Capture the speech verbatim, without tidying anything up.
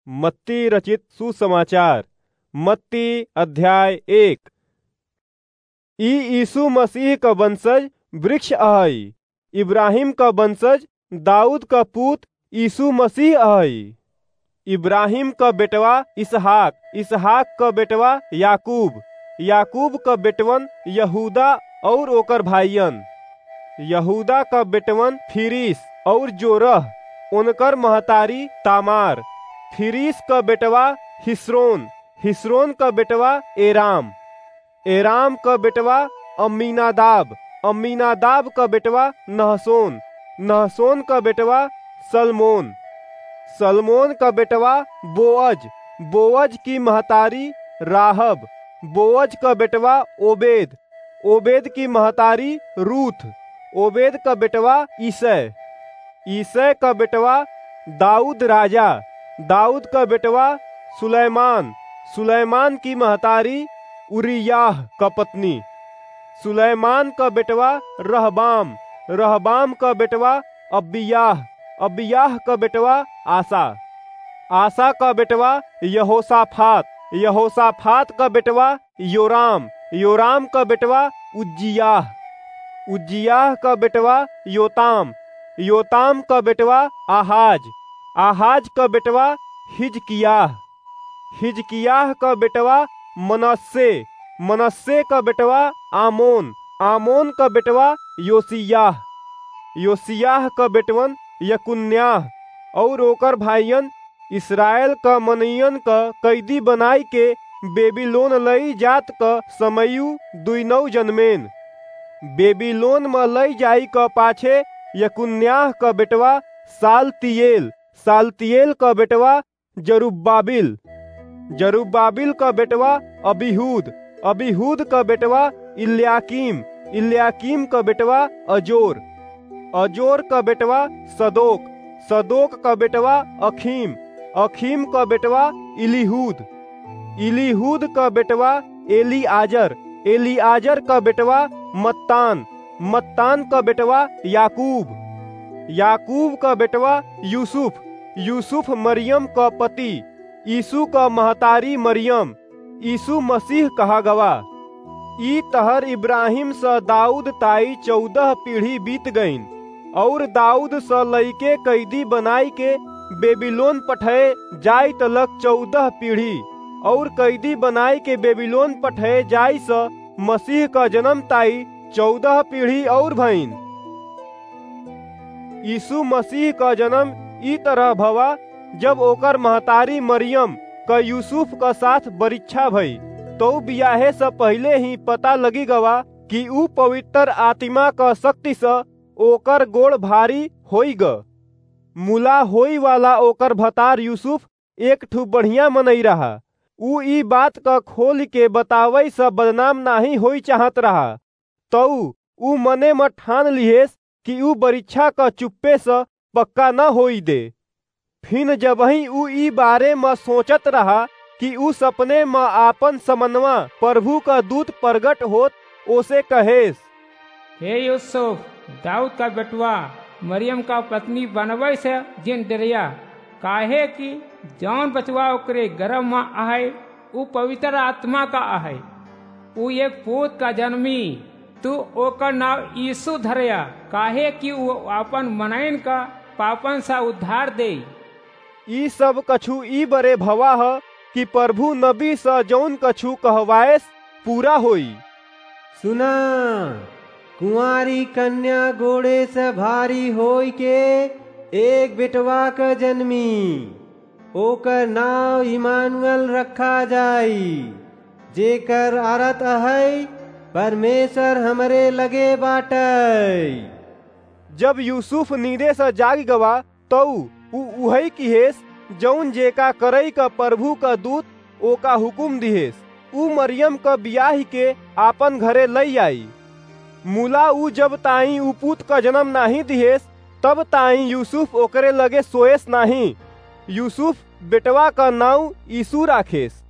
मत्ती रचित सुसमाचार। मत्ती अध्याय एक। ई यीशु मसीह क वंशज वृक्ष अहइ, इब्राहिम क वंशज दाऊद क पूत यीशु मसीह अहइ। इब्राहिम क बेटवा इसहाक, इसहाक क बेटवा याकूब, याकूब क बेटवन यहूदा अउर ओकर भाइयन। यहूदा क बेटवन फिरिस अउर जोरह, ओनकर महतारी तामार। फिरिस क बेटवा हिस्रोन, हिस्रोन क बेटवा एराम, एराम क बेटवा अम्मीनादाब, अम्मीनादाब क बेटवा नहसोन, नहसोन क बेटवा सलमोन, सलमोन क बेटवा बोअज, बोअज की महतारी राहब, बोअज क बेटवा ओबेद, ओबेद की महतारी रूथ, ओबेद क बेटवा ईसै, ईसै क बेटवा दाऊद राजा, दाऊद क बेटवा सुलैमान, सुलैमान की महतारी उरिय्याह क पत्नी, सुलैमान क बेटवा रहबाम, रहबाम क बेटवा अबिय्याह, अबिय्याह क बेटवा आसा, आसा क बेटवा यहोसाफात, यहोसाफात क बेटवा योराम, योराम क बेटवा उज्जियाह, उज्जियाह क बेटवा योताम, योताम क बेटवा आहाज, आहाज क बेटवा हिजकिय्याह, हिजकिय्याह क बेटवा मनस्से, मनस्से क बेटवा आमोन, आमोन क बेटवा योसिय्याह, योसिय्याह क बेटवन यकुन्याह अउर ओकर भाइयन इसरायल क मनइयन क कैदी बनाइ के बेबीलोन लई जात क समयू दुइनौ जनमेन। बेबीलोन म लई जाई क पाछे यकुन्याह क बेटवा सालतियेल, सालतियेल क बेटवा जरुब्बाबिल, जरुब्बाबिल क बेटवा अबीहूद, अबीहूद क बेटवा इल्याकीम, इल्याकीम क बेटवा अजोर, अजोर क बेटवा सदोक, सदोक क बेटवा अखीम, अखीम क बेटवा इलीहूद, इलीहूद क बेटवा एलीआजर, एलीआजर क बेटवा मत्तान, मत्तान क बेटवा याकूब, याकूब क बेटवा यूसुफ, यूसुफ मरियम क पति, यीशु क महतारी मरियम, यीशु मसीह कहा गवा। ई तहर इब्राहिम स दाऊद ताई चौदह पीढ़ी बीत गईन, अउर दाऊद स लइके कैदी बनाई के बेबीलोन पठए जाई तलक चौदह पीढ़ी, अउर कैदी बनाई के बेबीलोन पठए जाई स मसीह क जनम ताई चौदह पीढ़ी अउर भईन। यीशु मसीह क जनम ई तरह भवा, जब ओकर महतारी मरियम क यूसुफ क साथ बरिच्छा भई, तौ बियाहे स पहिले ही पता लगी गवा कि ऊ पवित्र आतिमा क शक्ति स ओकर गोड़ भारी होई ग। मुला होई वाला ओकर भतार यूसुफ एक ठु बढ़िया मनई रहा। ऊ ई बात क खोलि के बतावइ स बदनाम नाहीं होई चाहत रहा। तऊ ऊ मने म ठान लिहेस कि ऊ बरिच्छा क चुप्पे स पक्का न होई दे। फिन जबहीं ऊ ई बारे म सोचत रहा कि ऊ सपने म आपन समनवा परभू क दूत परगट होत ओसे कहेस, हे यूसुफ, दाऊद क बेटवा, मरियम क पत्नी बनवइ से जिन डेरया, काहे कि जौन बचवा ओकरे गरभ म अहइ, ऊ पवित्र आतिमा क अहइ। ऊ एक पूत क जनमी, तू ओकर नाउँ यीसू धरया, काहे कि ऊ आपन मनइन क पापन स उद्धार देई। ई सब कछु ई बरे भवा ह कि परभू नबी स जौन कछु कहवाएस, पूरा होई। सुना, कुँवारी कन्या गोड़े स भारी होइके एक बेटवा क जनमी, ओकर नाउँ इम्मानुएल रखा जाई, जेकर अरथ अहइ, परमेसर हमरे लगे बाटइ। जब यूसुफ नींदे स जागि गवा, तऊ ऊ उहइ किहेस, जउन जेका करइ क परभू क दूत ओका हुकुम दिहेस, ऊ मरियम क बियाहिके आपन घरे लइ आई। मुला ऊ जब ताईं ऊ पूत क जनम नाहीं दिहेस, तब ताईं यूसुफ ओकरे लगे सोएस नाहीं। यूसुफ बेटवा क नाउँ यीसू राखेस।